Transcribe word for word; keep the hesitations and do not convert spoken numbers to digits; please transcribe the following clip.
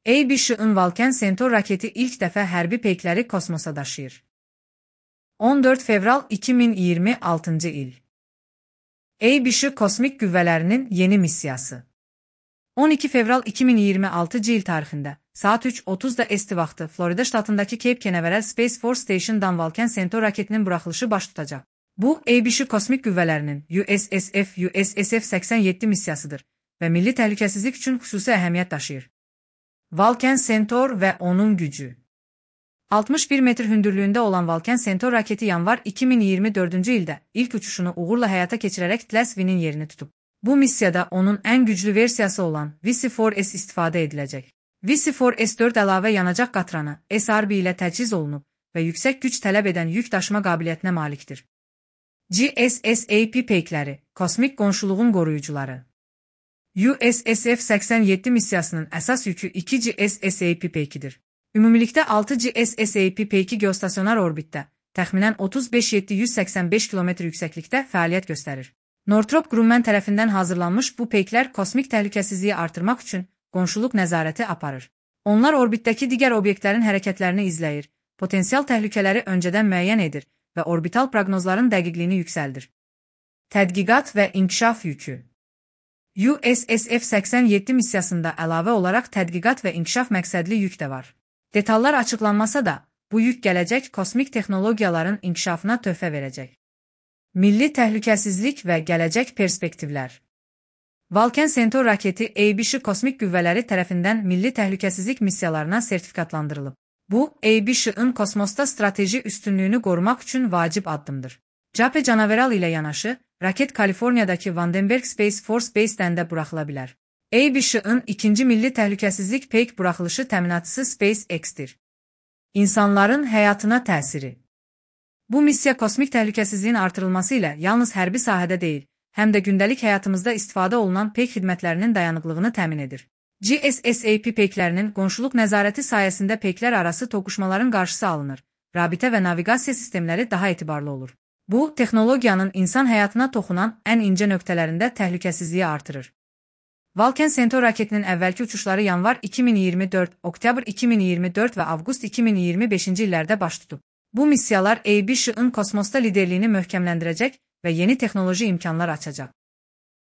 A B Ş-ın Vulcan Centaur raketi ilk dəfə hərbi peykləri kosmosa daşıyır. on dörd fevral iki min iyirmi altıncı il. A B Ş kosmik qüvvələrinin yeni missiyası. on iki fevral iki min iyirmi altıncı il tarixində saat üç otuzda esti vaxtı Florida ştatındakı Cape Canaveral Space Force Station'dan Vulcan Centaur raketinin buraxılışı baş tutacaq. Bu, A B Ş kosmik qüvvələrinin U S S F U S S F səksən yeddi missiyasıdır və milli təhlükəsizlik üçün xüsusi əhəmiyyət daşıyır. Vulcan Centaur və onun gücü. altmış bir metr hündürlüyündə olan Vulcan Centaur raketi yanvar iki min iyirmi dördüncü ildə ilk uçuşunu uğurla həyata keçirərək Tləs-V'nin yerini tutub. Bu missiyada onun ən güclü versiyası olan V C dörd S istifadə ediləcək. V C dörd S dörd əlavə yanacaq qatranı S R B ilə təchiz olunub və yüksək güc tələb edən yük daşıma qabiliyyətinə malikdir. G S S A P peykləri, kosmik qonşuluğun qoruyucuları. U S S F səksən yeddi missiyasının əsas yükü iki G S S A P peykidir. Ümumilikdə altı G S S A P peyki geostasionar orbitdə, təxminən otuz beş min yeddi yüz səksən beş kilometr yüksəklikdə fəaliyyət göstərir. Northrop Grumman tərəfindən hazırlanmış bu peyklər kosmik təhlükəsizliyi artırmaq üçün qonşuluq nəzarəti aparır. Onlar orbitdəki digər obyektlərin hərəkətlərini izləyir, potensial təhlükələri öncədən müəyyən edir və orbital proqnozların dəqiqliyini yüksəldir. Tədqiqat və inkişaf yükü. U S S F səksən yeddi missiyasında əlavə olaraq tədqiqat və inkişaf məqsədli yük də var. Detallar açıqlanmasa da, bu yük gələcək kosmik texnologiyaların inkişafına töhfə verəcək. Milli təhlükəsizlik və gələcək perspektivlər. Vulcan Centaur raketi A B Ş kosmik qüvvələri tərəfindən milli təhlükəsizlik missiyalarına sertifikatlandırılıb. Bu, A B Ş-ın kosmosda strateji üstünlüyünü qorumaq üçün vacib addımdır. Cape Canaveral ilə yanaşı, raket Kaliforniyadakı Vandenberg Space Force Base-dən də buraxıla bilər. A B Ş-ın ikinci milli təhlükəsizlik peyk buraxılışı təminatçısı SpaceX-dir. İnsanların həyatına təsiri. Bu missiya kosmik təhlükəsizliyin artırılması ilə yalnız hərbi sahədə deyil, həm də gündəlik həyatımızda istifadə olunan peyk xidmətlərinin dayanıqlığını təmin edir. G S S A P peyklərinin qonşuluq nəzarəti sayəsində peyklər arası toqquşmaların qarşısı alınır, rabitə və naviqasiya sistemləri daha etibarlı olur. Bu, texnologiyanın insan həyatına toxunan ən incə nöqtələrində təhlükəsizliyi artırır. Vulcan Centaur raketinin əvvəlki uçuşları yanvar iki min iyirmi dörd, oktyabr iki min iyirmi dörd və avqust iki min iyirmi beşinci illərdə baş tutub. Bu missiyalar A B Ş-ın kosmosda liderliyini möhkəmləndirəcək və yeni texnoloji imkanlar açacaq.